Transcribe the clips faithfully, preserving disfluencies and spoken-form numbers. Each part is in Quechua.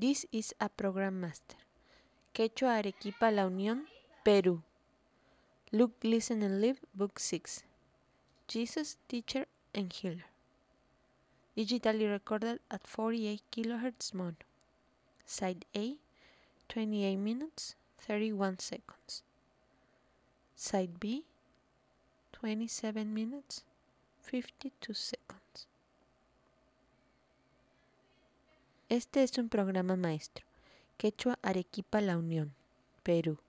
This is a program master. Quechua Arequipa La Unión, Perú. Look, Listen and Live, Book six. Jesus, Teacher and Healer. Digitally recorded at forty-eight kilohertz mono. Side A, twenty-eight minutes, thirty-one seconds. Side B, twenty-seven minutes, fifty-two seconds. Este es un programa maestro. Quechua Arequipa La Unión, Perú.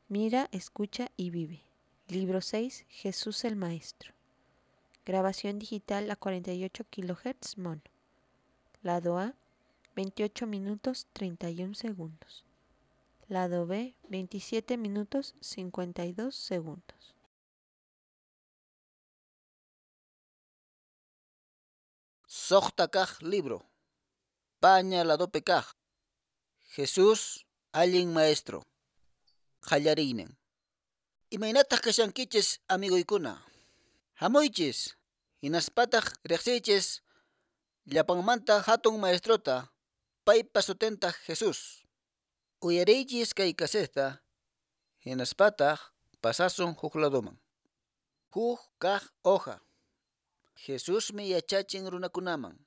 Mira, escucha y vive. Libro seis, Jesús el Maestro. Grabación digital a cuarenta y ocho kilohertz mono. Lado A, veintiocho minutos treinta y un segundos. Lado B, veintisiete minutos cincuenta y dos segundos. Suqta kaq libro. Paña ladopi kaq. Jesús, allin maestro. Qallariynin. Imaynataq kashankichis, amigoykuna? Hamuychis, hinaspataq riqsiychis llapanmanta hatun maestrota, paypa sutintaq Jesús. Uyariychis kay kaseta, hinaspataq pasasun huk ladoman. Huk kaq hoja. Jesusmi yachachin runakunaman.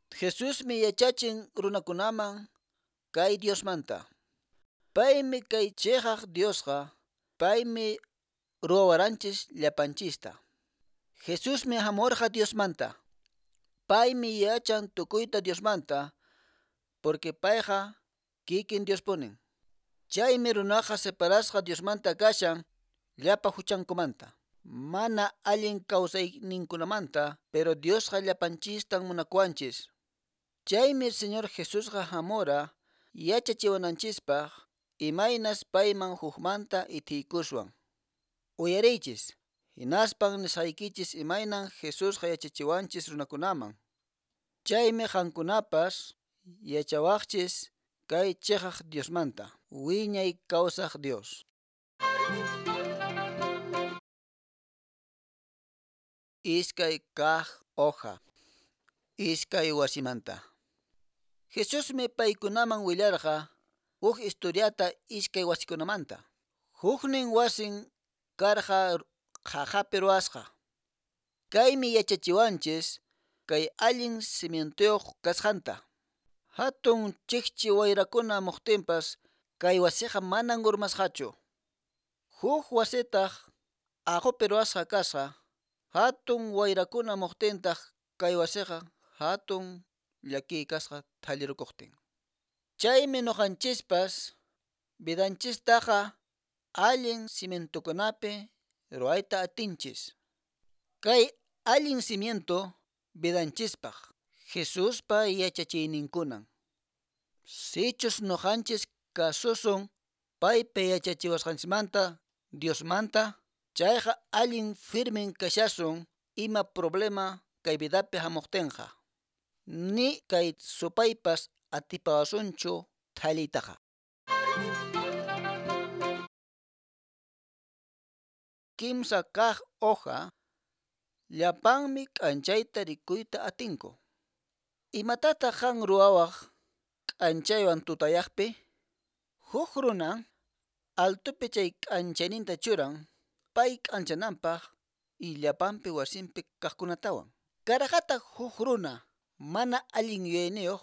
Jesusmi yachachin runakunaman kay Diosmanta. Paymi kay chiqaq Diosqa, paymi ruwawaranchis llapanchista. Jesusmi hamurqa Diosmanta. Paymi yachan tukuyta Diosmanta, porque payqa kikin Diospunin. Chaymi runaqa separasqa Diosmanta kashan llapa huchankumanta. Mana allin kawsayninkunamanta, pero Diosqa llapanchistan munakuwanchis. Chaymi Señor Jesusqa hamura yachachiwananchispaq imaynas payman hukmanta ithiykuswan. Uyariychis, hinaspan nisqaykichis imaynan Jesusqa yachachiwanchis runakunaman. Chaymi qankunapas yachawaqchis kay chiqaq Diosmanta, wiñay kawsaq Dios. Iskay kaq hoja. Iskay wasimanta. Jesusmi paykunaman willarqa huk historiata iskay wasikunamanta. Huknin wasin karqa qaqapi ruwasqa. Kaymi yachachiwanchis kay allin cimientuyuq kasqanta. Hatun chikchi wayrakuna muqtinpas kay wasiqa manan urmasqachu. Huk wasitaq aqupi ruwasqa kasqa. Hatun wayrakuna muqtintaq kay wasiqa hatun llakiy kasqa thallirukuqtin. Chaymi nuqanchispas vidanchistaqa allin cimientokunapi ruwayta atinchis. Kay allin cimiento vidanchispaq Jesuspa yachachiyninkunan. Sichus nuqanchis kasusun paypa yachachiwasqanchismanta Diosmanta, chayqa allin firmen kashasun ima problema kay vidapi hamuqtinqa. Ni kay supaypas atipawasunchu thalliytaqa. Kimsa kaq hoja, llapanmi k'anchayta rikuyta atinku. Imatataq qan ruwawaq k'anchaywan tutayaqpi? Huk runa altopi chay k'anchayninta churan pay k'anchananpaq y llapanpi wasinpi kaqkunatawan. Karaqataq huk runa mana allin yuyayniyuq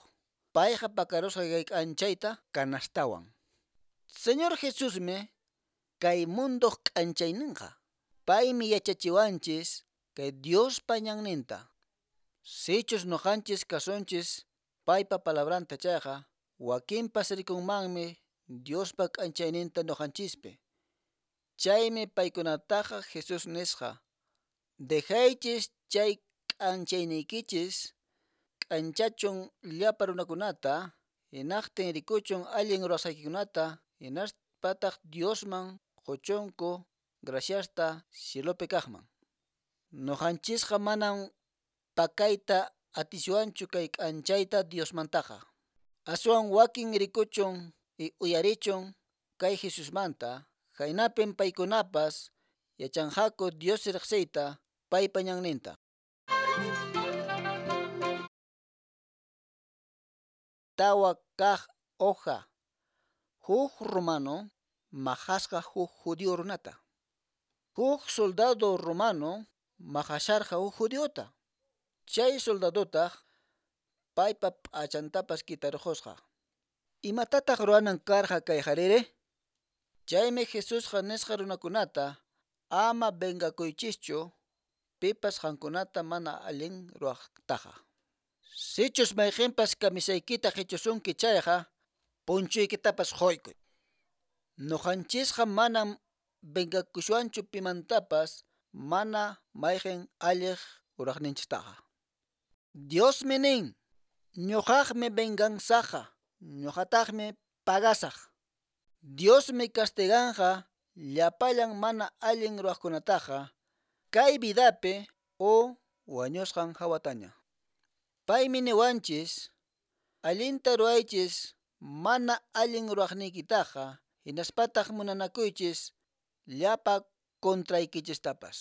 payqa pakarusqa kay k'anchayta kanastawan. Señor Jesusmi kay munduq k'anchayninqa. Paymi yachachiwanchis kay Diospa ñanninta. Sichus nuqanchis kasunchis paypa palabranta chayqa, wakinpas rikunmanmi Diospa k'anchayninta nuqanchispi. Chaymi paykunataqa Jesús nisqa: Dejaychis chay k'anchayniykichis k'anchachun llapa runakunata, hinaqtin rikuchun allin ruwasqaykikunata, hinaspataq Diosman quchunku graciasta cielopi kaqman. Nuqanchisqa manam pakayta atiswanchu kay k'anchayta Diosmantaqa. Aswan wakin rikuchun y uyarichun kay Jesusmanta, haynapin paykunapas yachanqaku Dios riqsiyta paypa ñanninta. Tawa kaq Hoja. Huk romano maqasqa huk judío runata. Huk soldado romano maqasharqa huk judiota. Chay soldadotaq paypa p'achantapas kitarqusqa. Imatataq ruwanan karqa kay qhariri? Chaymi Jesusqa nisqa runakunata ama vengakuychischu pipas qankunata mana allin ruwaqtaqa. Sichus mayqinpas kamisaykita qichusunki chayqa punchuykitapas quykuy. Nuqanchisqa manam vengakushwanchu pimantapas mana mayqin alliq ruraqninchistaqa. Diosmi nin, ñuqaqmi venganzaqa, ñuqataqmi pagasaq. Diosmi castiganqa llapallan mana allin ruwaqkunataqa kay vidapi o wañusqan hawataña. Paymi niwanchis, allinta ruwaychis mana allin ruwaqniykitaqa hinaspataq munanakuychis llapa contraykichistapas.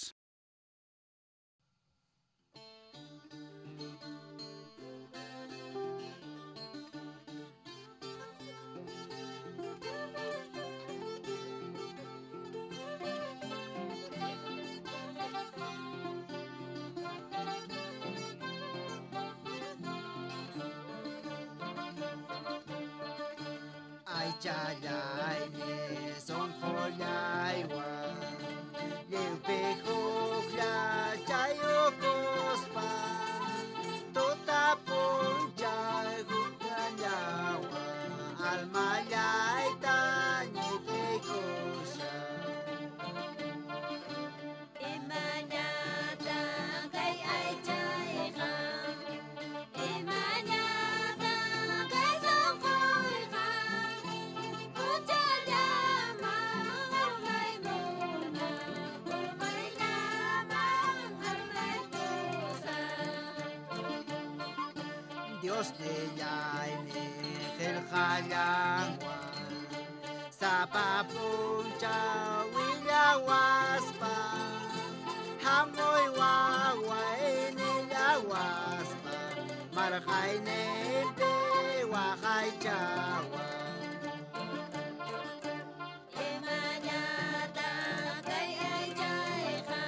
Aychallaymi sunqullaywan lliwpi hukllachayukuspa tuta p'unchay hukllallawan almallayta ñitiykushan. Imañatan kay aychayqa, imañatan kay sunquyqa, huchallaman urmaymuna, urmayllaman armaykusaq. Dios nillaymi qillqallanwan sapa p'unchaw willawaspa hamuy waway nillawaspa marqayninpi waqaychawan. Imañatan kay aychayqa,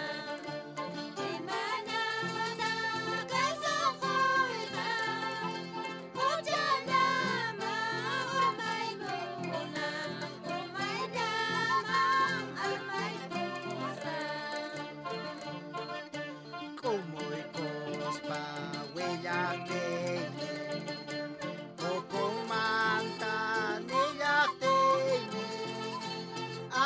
imañatan kay sunquyqa, huchallaman urmaymuna, urmayllaman armaykusaq. K'umuykuspa willaqtiymi ukunmanta nillaqtiymi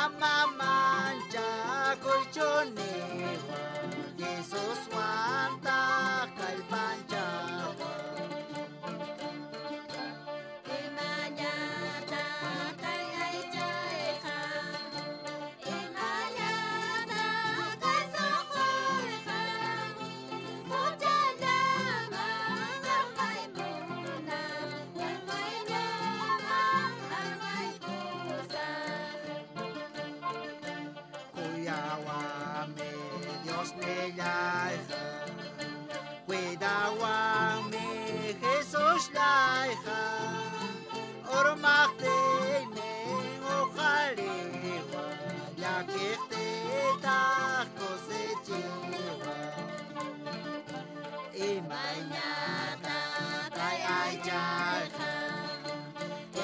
ama manchakuychu niwan Jesuswantaq kallpanchawan. Imañatan kay aychayqa, imañatan kay sunquyqa, huchallaman armaymuna, urmayllaman armaykusaq. Kuyawanmi Dios nillayqa, cuidawanmi Jesusllayqa, urmaqtiymi uqariwan, llakiqtiytaq kusichiwan. Imaynatan kay aychayqa,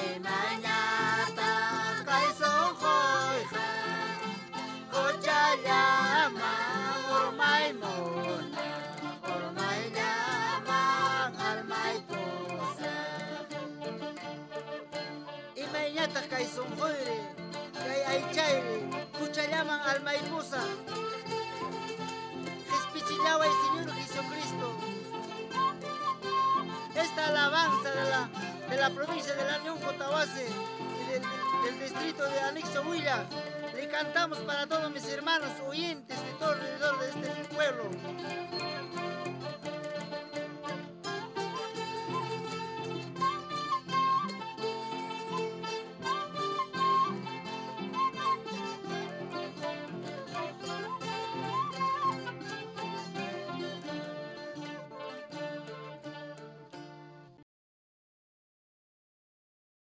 imaynatan kay sunquyqa, huchallaman urmaymuna, urmayllaman armaykusaq. Imaynataq kay sunquyri, kay aychayri, huchallaman almaypusaq. Qispichillaway Señor Jesucristo. Esta alabanza de la, de la provincia de la Unión Cotahuasi y del, del distrito de Anexo Huila, le cantamos para todos mis hermanos oyentes de todo alrededor de este pueblo.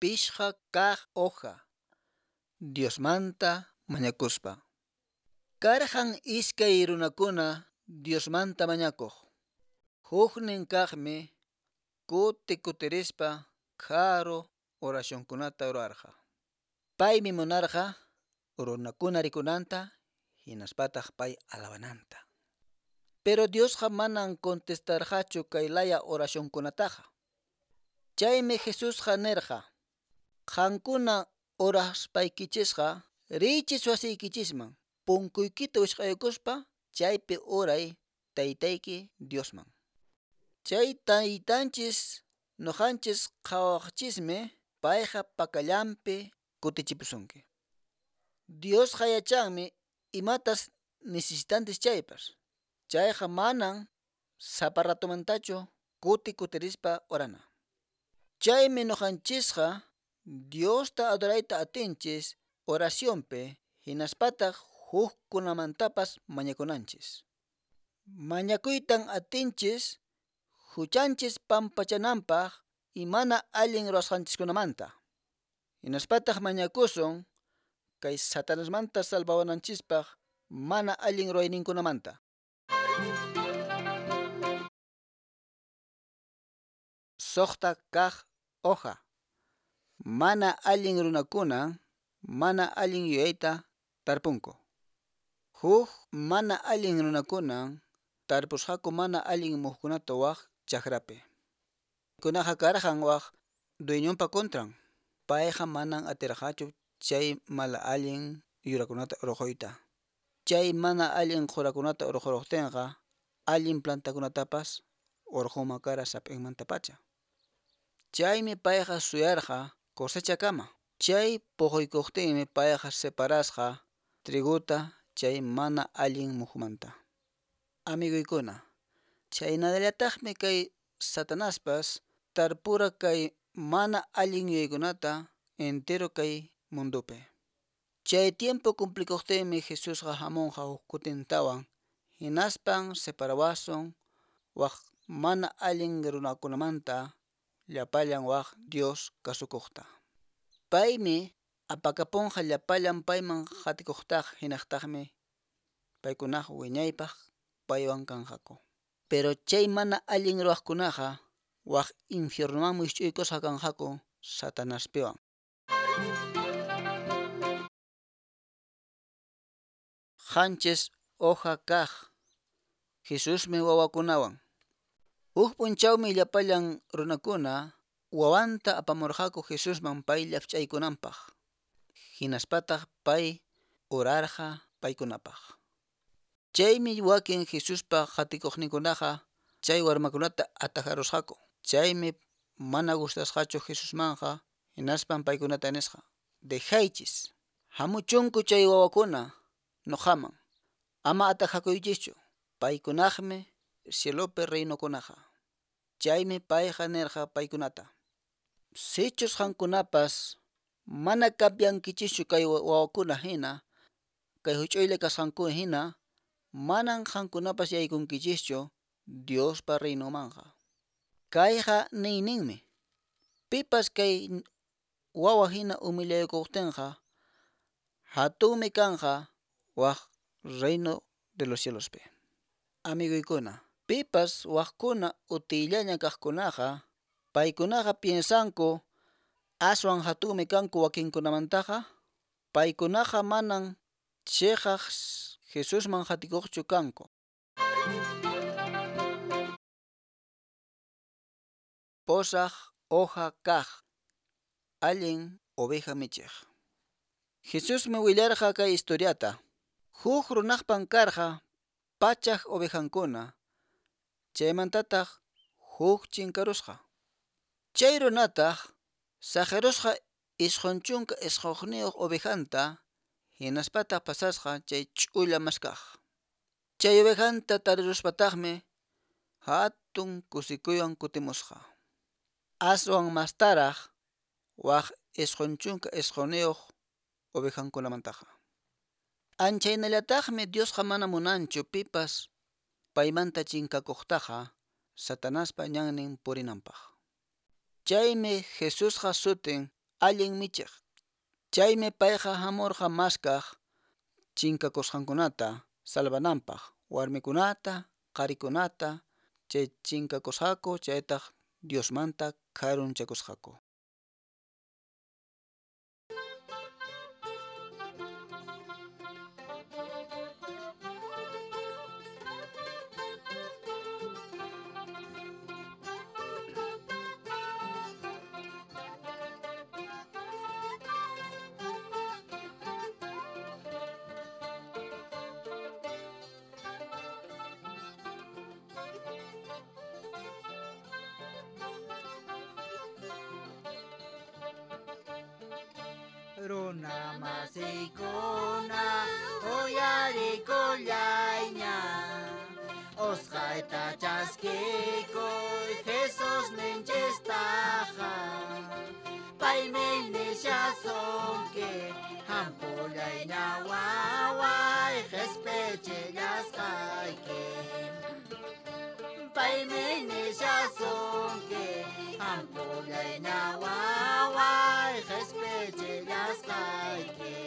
Pishqa kaq hoja. Diosmanta mañakuspa. Karqan iskay runakuna Diosmanta mañakuq. Huknin kaqmi kuti kutirispa karu oracionkunata rurarqa. Paymi munarqa runakuna rikunanta hinaspataq pay alabananta. Pero Diosqa manan contestarqachu kay laya oracionkunataqa. Chaymi Jesusqa nirqa: Qankuna oraspaykichisqa riychis wasiykichisman punkuykita wisq'aykuspa chaypi uray taytayki Diosman. Chay taytanchis nuqanchis qhawaqchismi payqa pakallanpi kutichipusunki. Diosqa yachanmi imatas necesitanchis chaypas. Chayqa manan sapa ratumantachu kuti kutirispa orana. Chaymi nuqanchisqa Diosta adorayta atinchis oracionpi hinaspataq hukkunamantapas mañakunanchis. Mañakuytan atinchis huchanchis pampachananpaq y mana allin ruwasqanchiskunamanta. Hinaspataq mañakusun kay Satanasmanta salvawananchispaq mana allin ruwayninkunamanta. Suqta kaq hoja. Mana allin runakuna mana allin yuyayta tarpunku. Huk mana allin runakuna tarpusqaku mana allin muhukunata waq chakrapi. Kunaqa karqan waq dueñonpa contran. Payqa manan atirqachu chay mala allin yurakunata urquyta. Chay mana allin qhurakunata urquruqtinqa allin plantakunatapas urqunman kara sap'inmantapacha. Chaymi payqa suyarqa cosechakama. Chay puquykuqtinmi payqa separasqa triguta chay mana allin muhumanta. Amiguykuna, chaynallataqmi kay Satanaspas tarpura kay mana allin yuyaykunata entero kay mundupi. Chay tiempo cumplikuqtinmi Jesusqa hamunqa huk kutintawan hinaspan separawasun waq mana allin runakunamanta llapallan waq Dios kasukuqta. Paymi apakapunqa llapallan payman qatikuqtaq hinaqtaqmi paykunaqa wiñaypaq paywan kanqaku. Pero chay mana allin ruwaqkunaqa waq infiernumanmi wisch'uykusqa kanqaku Satanaspiwan. Qanchis hoja kaq. Jesusmi wawakunawan. Huk p'unchawmi llapallan runakuna wawanta apamurqaku Jesusman pay llafch'aykunanpaq. Hinaspataq pay urarqa paykunapaq. Chaymi wakin Jesuspa qatikuqninkunaqa chay warmakunata atajarusqaku. Chaymi mana gustasqachu Jesusmanqa hinaspan paykunata nisqa: Dejaychis, hamuchunku chay wawakuna nuqaman, ama atajakuychischu, paykunaqmi cielopi reinokunaqa. Chaymi payqa nirqa paykunata: Sichus qankunapas mana cambiankichischu kay wawakuna hina, kay huch'uylla kasqanku hina, manan qankunapas yaykunkichischu Diospa reinomanqa. Kayqa niyninmi: Pipas kay wawa hina humillaykuqtinqa hatunmi kanqa waq reino de los cielospi. Amiguykuna, pipas waqkuna utiyllaña kaqkunaqa paykunaqa piensanku aswan hatunmi kanku wakinkunamantaqa, paykunaqa manan chiqaq Jesusman qatikuqchu kanku. Posaq hoja kaq. Allin oveja michiq. Jesusmi willarqa kay historiata. Huk runaqpan karqa pachak ovejankuna, chaymantataq huk chinkarusqa. Chay runataq saqirusqa isqun chunka isqunniyuq ovejanta hinaspataq pasasqa chay ch'ulla maskaq. Chay ovejanta tariruspataqmi hatun kusikuywan kutimusqa. Aswan mastaraq waq isqun chunka isqunniyuq ovejankunamantaqa. Anchaynallataqmi Diosqa mana munanchu pipas paymanta chinkakuqtaqa Satanaspa ñannin purinanpaq. Chaymi Jesusqa sutin allin michiq. Chaymi payqa hamurqa maskaq chinkakusqankunata salvananpaq, warmikunata, qharikunata, chay chinkakusqaku chaytaq Diosmanta karunchakusqaku. Runa masikuna uyarikullayña Osqayta chaskikuy Jesus ninchistaqa Paymi nishasunki hampullayña waway qhispichisqayki Paymi nishasunki hampullayña waway qhispichisqayki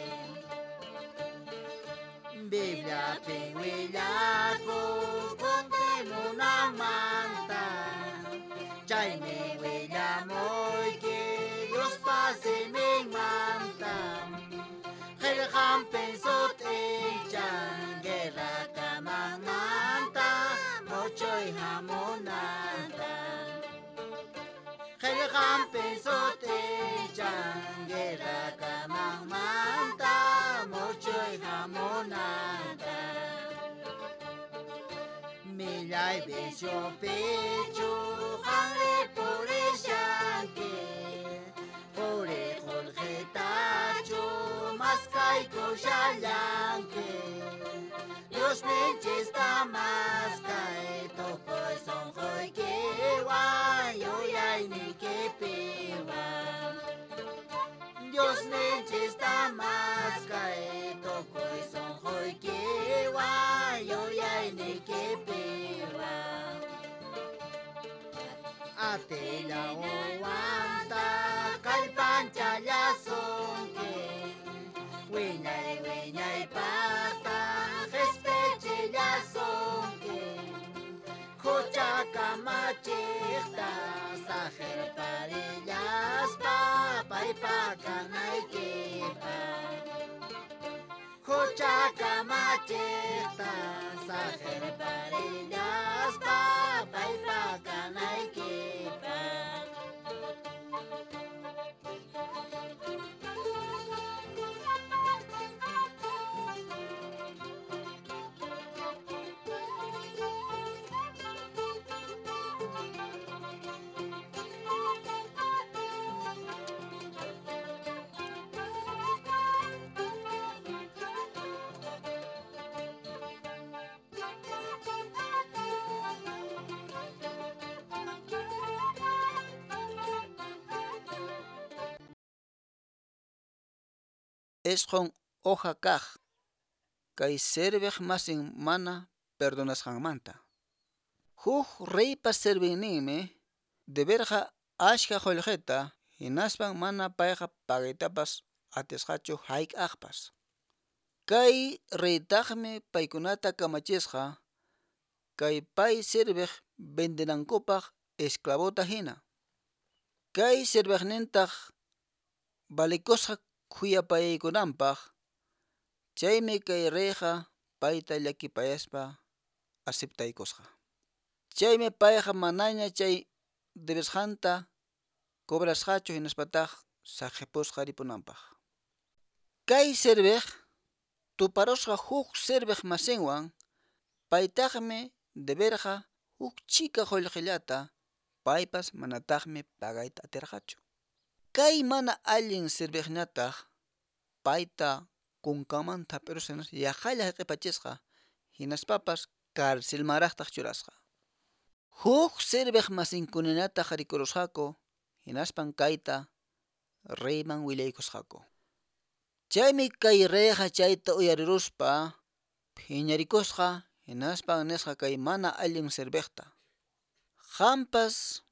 Bibliapi willakun kutimunanmanta Chaymi willamuyki Diospa siminmanta Qillqanpin sut'inchan guerra kamanmanta muchuy hamunanta Qillqanpin sut'inchan guerra kamanmanta muchuy hamunanta Millay viciopichu qanri purishanki Quri qullqitachu maskaykushallanki Dios ninchista maskay tukuy sunquykiwan yuyayniykipiwan Dios ninchista maskay tukuy sunquykiwan yuyayniykipiwan Atilla uwanta kallpanchallasunki Wiñay wiñaypaqta qhispichillasunki Hucha kamachiqta saqerparillaspa paypa kanaykipaq Hucha kamachiqta saqerparillaspa paypa kanaykipaq Isqun hoja kaq kay serviq masin mana perdonasqanmanta. Huk reypa serviqninmi deberqa achka qullqita hinaspan mana payqa pagaytapas atisqachu hayk'aqpas. Kay reytaqmi paykunata kamachisqa kay pay serviq vendinankupaq esclavota hina. Kay serviqnintaq valikusqa khuyapayaykunanpaq chaymi kay reyqa payta llakipayaspa aceptaykusqa. Chaymi payqa manaña chay debesqanta cobrasqachu hinaspataq saqipusqa ripunanpaq. Kay serviq tuparusqa huk serviq masinwan paytaqmi deberqa huk chika qullqillata paypas manataqmi pagayta atirqachu. Kay mana allin serviqñataq payta kunkamanta hap'irusqa yaqalla qhipachisqa hinaspapas carcelmanraqtaq churasqa. Huk serviq masinkunataq rikurusqaku hinaspan kayta reyman willaykusqaku. Chaymi kay reyqa chayta uyariruspa phiñarikusqa hinaspan nisqa kay mana allin serviqta. Qampas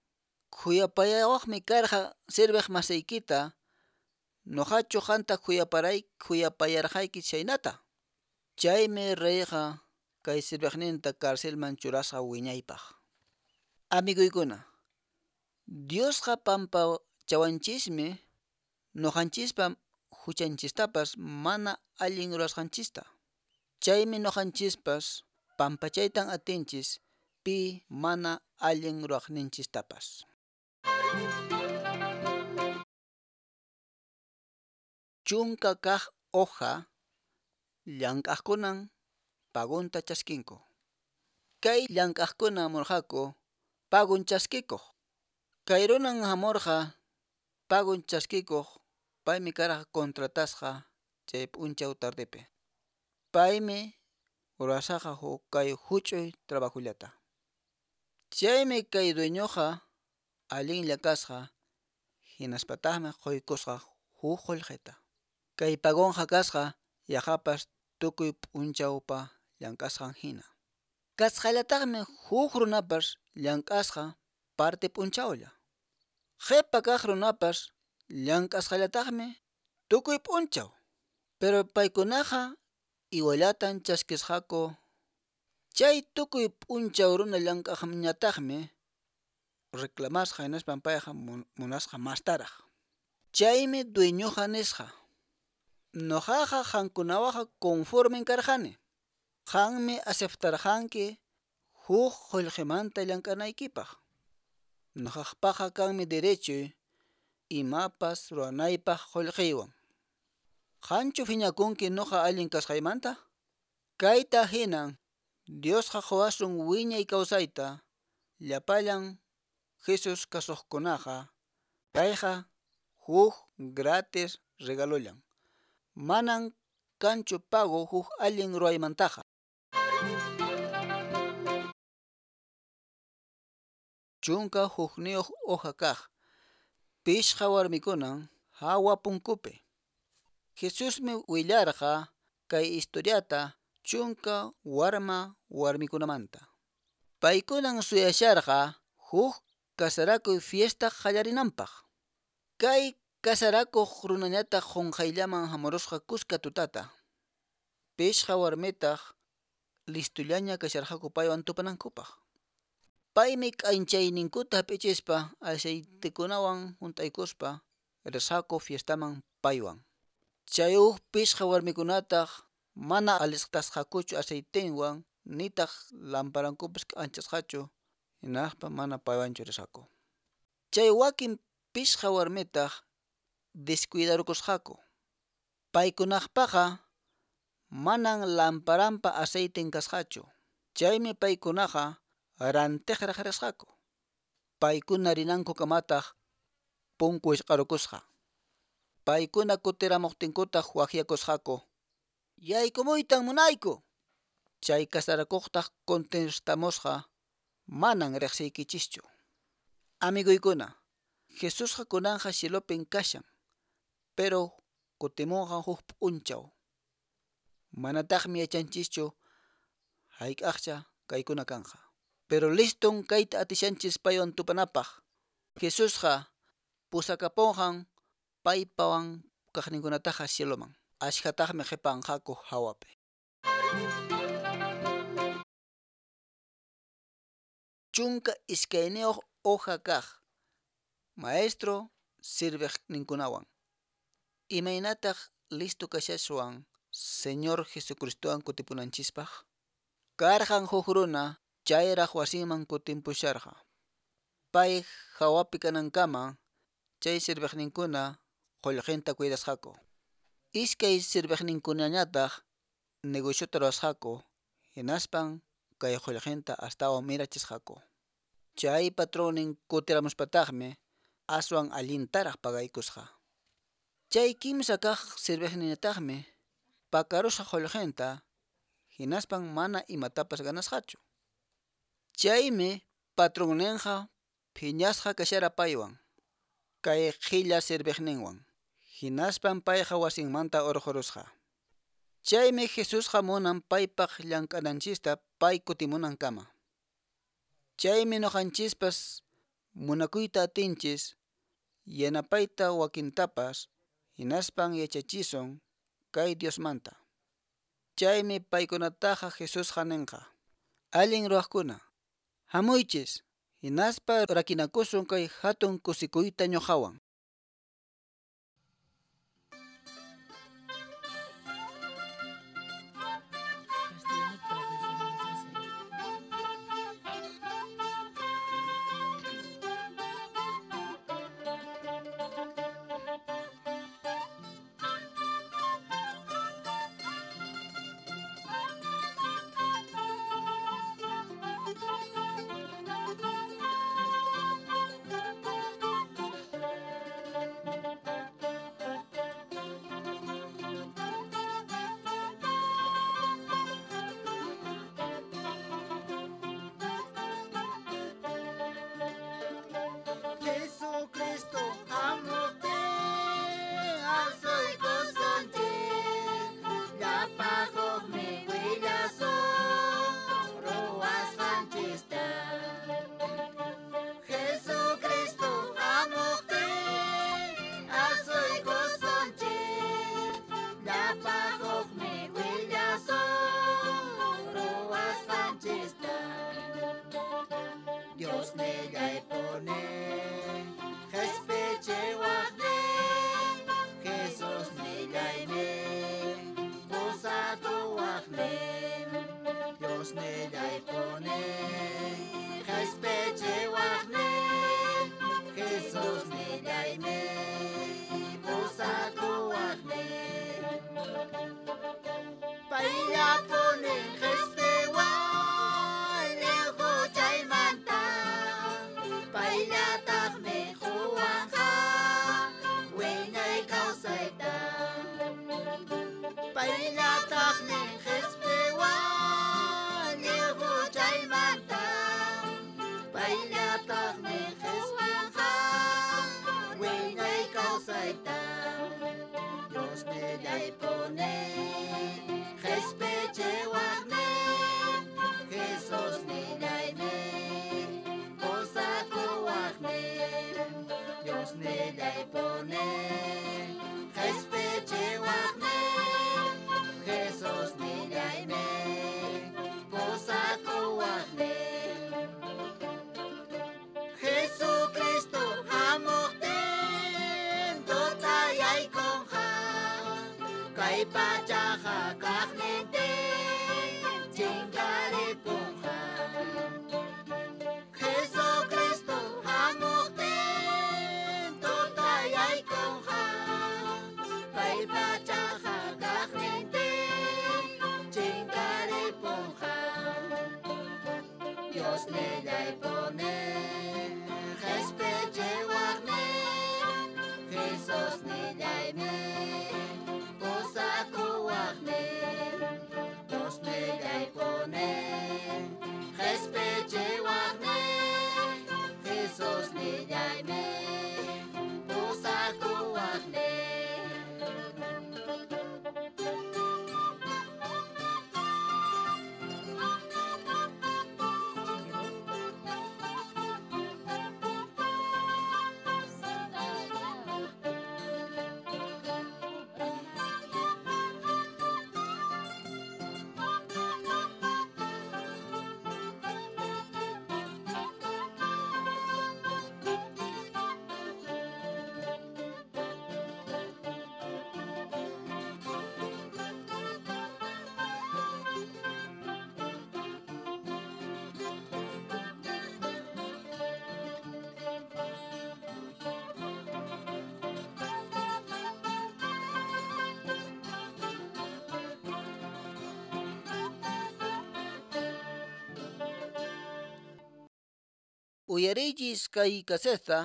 khuyapayawaqmi karqa serviq masiykita Nuqachu qanta khuyaparay khuyapayarqayki chhaynata? Chaymi reyqa kay sirviqninta carcelman churasqa wiñaypaq. Amiguykuna, Diosqa pampachawanchismi nuqanchispa huchanchistapas mana allin rurasqanchista. Chaymi nuqanchispas pampachaytan atinchis pi mana allin ruraqninchistapas. Chunka kaq hoja llank'aqkunan pagunta chaskinku. Kay llank'aqkuna hamurqaku pagun chaskikuq. Kay runan hamurqa pagun chaskikuq paymi karqa contratasqa chay p'unchaw tardepi. Paymi rurashaqa huk kay huch'uy trabajullata. Chaymi kay dueñoqa allinlla kasqa hinaspataqmi quykusqa huk qullqita. Kay pagunqa kasqa yaqapas tukuy p'unchawpa llank'asqan hina. Kasqallataqmi huk runapas llank'asqa parte p'unchawlla. Qhipa kaq runapas llank'asqallataqmi tukuy p'unchaw. Pero paykunaqa igualatan chaskisqaku. Chay tukuy p'unchaw runa llank'aqñataqmi reclamasqa hinaspan payqa munasqa mastaraq. Chaymi dueñoqa nisqa: Nuqaqa qankunawanqa conformen karqani. Qanmi aceptarqanki huk qullqimanta llank'anaykipaq. Nuqaqpaqa kanmi derechoy imapas ruwanaypaq qullqiywan. Qanchu phiñakunki nuqa allin kasqaymanta? Kayta hinan Diosqa quwasun wiñay kawsayta llapallan Jesus kasuqkunaqa. Kayqa huk gratis regalollan. Manan kanchu pago huk allin ruwaymantaqa. Chunka hukniyuq hoja kaq pishqa warmikunan hawa punkupi. Jesusmi willarqa kay historiata chunka warma warmikunamanta. Paykunan suyasharqa huk kasarakuy fiesta qallarinanpaq. Kay kasarakuq runañataq qunqayllaman hamurusqa kuska tutata. Pishqa warmitaq listullaña kasharqaku paywan tupanankupaq. Paymi k'anchayninkuta hap'ichispa aceitekunawan hunt'aykuspa risqaku fiestaman paywan. Chay huk pishqa warmikunataq mana alistasqakuchu aceitenwan nitaq lamparankupas k'anchasqachu hinaspa mana paywanchu risqaku. Chay wakin pishqa warmitaq descuidarukusqaku. Paykunaqpaqa manan lamparanpa aceiten kasqachu. Chaymi paykunaqa rantiqraq risqaku. Paykuna rinankukamataq punku wisq'arukusqa. Paykuna kutiramuqtinkutaq waqyakusqaku: Yaykumuytan munayku. Chay kasarakuqtaq contestamusqa: Manan riqsiykichischu. Amiguykuna, Jesusqa kunanqa cielopin kashan, pero kutimunqa huk p'unchaw. Manataqmi yachanchischu hayk'aqcha kaykuna kanqa. Pero liston kayta atishanchis paywan tupanapaq. Jesusqa pusakapunqan paypawan kaqninkunataqa cieloman. Ashkhataqmi qhipanqaku hawapi. Chunka iskayniyuq hoja kaq maestro sirviqninkunawan. Imaynataq listo kashaswan Señor Jesucristowan kutipunanchispaq? Karqan huk runa chayraq wasinman kutimpusharqa. Pay hawapi kanankama chay sirviqninkuna qullqinta cuidasqaku. Iskay sirviqninkunañataq negociota ruwasqaku hinaspan kay qullqinta astawan mirachisqaku. Chay patronnin kutiramuspataqmi aswan allintaraq pagaykusqa. Chay kimsa kaq sirviqninñataqmi pakarusqa qullqinta hinaspan mana imatapas ganasqachu. Chaymi patronninqa phiñasqa kashara paywan, kay qhilla sirviqninwan. Hinaspan payqa wasinmanta urqurusqa. Chaymi Jesusqa munan paypaq llank'ananchista pay kutimunankama. Chaymi nuqanchispas munakuyta atinchis yanapayta wakintapas Hinaspan yachachisun kay Diosmanta. Chaymi paykunataqa Jesusqa ninqa. Allin ruwaqkuna, hamuychis, hinaspa rakinakusun kay hatun kusikuyta ñuqawan. Jesucristo hamuqtin asuykusunchik, llapa hukmi willasun ruwasqanchista. Jesucristo hamuqtin asuykusunchik, llapa hukmi willasun ruwasqanchista. Dios nillaypuni, qhispichiwaqnin, Jesus nillaynin, pusakuwaqnin. Dios nillaypuni, qhispichiwaqnin, Jesus nillaynin, pusakuwaqnin. Payllapuni qhispiwan lliw huchaymanta, payllataqmi quwanqa wiñay kawsayta. Payllataqmi qhispiwan lliw huchaymanta, payllataqmi qhispiwanqa wiñay kawsayta. Dios nillaypuni, qhispichiwaqnin, Jesus nillaynin, pusakuwaqnin. Dios nillaypuni, qhispichiwaqnin, Jesus nillaynin, pusakuwaqnin. Jesucristo hamuqtin tutayaykunqa, kay pachaqa kaqnintin chinkaripunqa. Jesucristo hamuqtin tutayaykunqa, kay pachaqa kaqnintin chinkaripunqa. Dios nillaypuni, qhispichiwaqnin, Jesus nillaynin, pusakuwaqnin. Dios nillaypuni, qhispichiwaqnin, Jesus nillaynin, pusakuwaqnin. Uyariychis kay caseta.